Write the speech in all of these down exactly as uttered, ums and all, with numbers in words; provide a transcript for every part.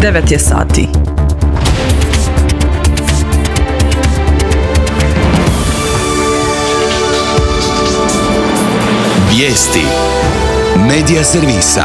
devet je sati. Vijesti Medija servisa.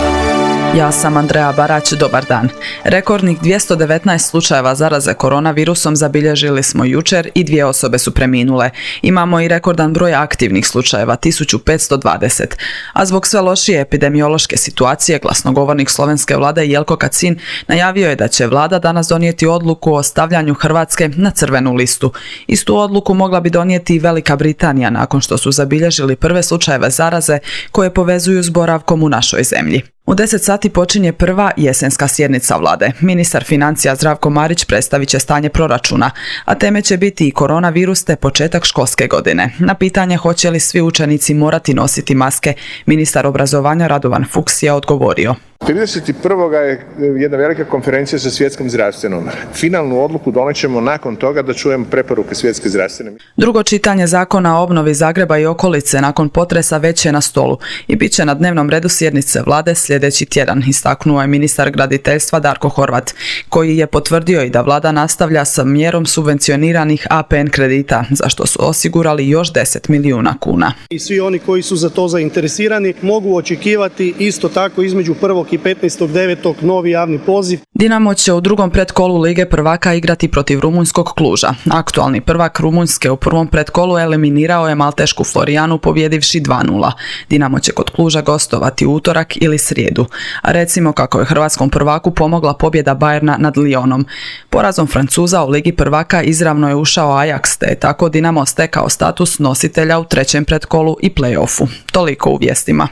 Ja sam Andreja Barać, dobar dan. Rekordnih dvjesto devetnaest slučajeva zaraze koronavirusom zabilježili smo jučer i dvije osobe su preminule. Imamo i rekordan broj aktivnih slučajeva, tisuću petsto dvadeset. A zbog sve lošije epidemiološke situacije, glasnogovornik slovenske vlade Jelko Kacin najavio je da će vlada danas donijeti odluku o stavljanju Hrvatske na crvenu listu. Istu odluku mogla bi donijeti i Velika Britanija nakon što su zabilježili prve slučajeve zaraze koje povezuju s boravkom u našoj zemlji. U deset sati počinje prva jesenska sjednica vlade. Ministar financija Zdravko Marić predstavit će stanje proračuna, a teme će biti i koronavirus te početak školske godine. Na pitanje hoće li svi učenici morati nositi maske, ministar obrazovanja Radovan Fuchs je odgovorio. trideset prvog je jedna velika konferencija sa Svjetskom zdravstvenom. Finalnu odluku donećemo nakon toga da čujemo preporuke Svjetske zdravstvene. Drugo čitanje zakona o obnovi Zagreba i okolice nakon potresa već je na stolu i bit će na dnevnom redu sjednice vlade sljedeći tjedan, istaknuo je ministar graditeljstva Darko Horvat, koji je potvrdio i da vlada nastavlja sa mjerom subvencioniranih A P N kredita, za što su osigurali još deset milijuna kuna. I svi oni koji su za to zainteresirani mogu očekivati isto tako između prvog i petnaestog devetog novi javni poziv. Dinamo će u drugom pretkolu Lige prvaka igrati protiv rumunjskog Kluža. Aktualni prvak Rumunjske u prvom pretkolu eliminirao je maltešku Florijanu pobjedivši dva nula. Dinamo će kod Kluža gostovati utorak ili srijedu. A recimo kako je hrvatskom prvaku pomogla pobjeda Bayerna nad Lyonom. Porazom Francuza u Ligi prvaka izravno je ušao Ajax, te je tako Dinamo stekao status nositelja u trećem pretkolu i play-offu. Toliko u vijestima.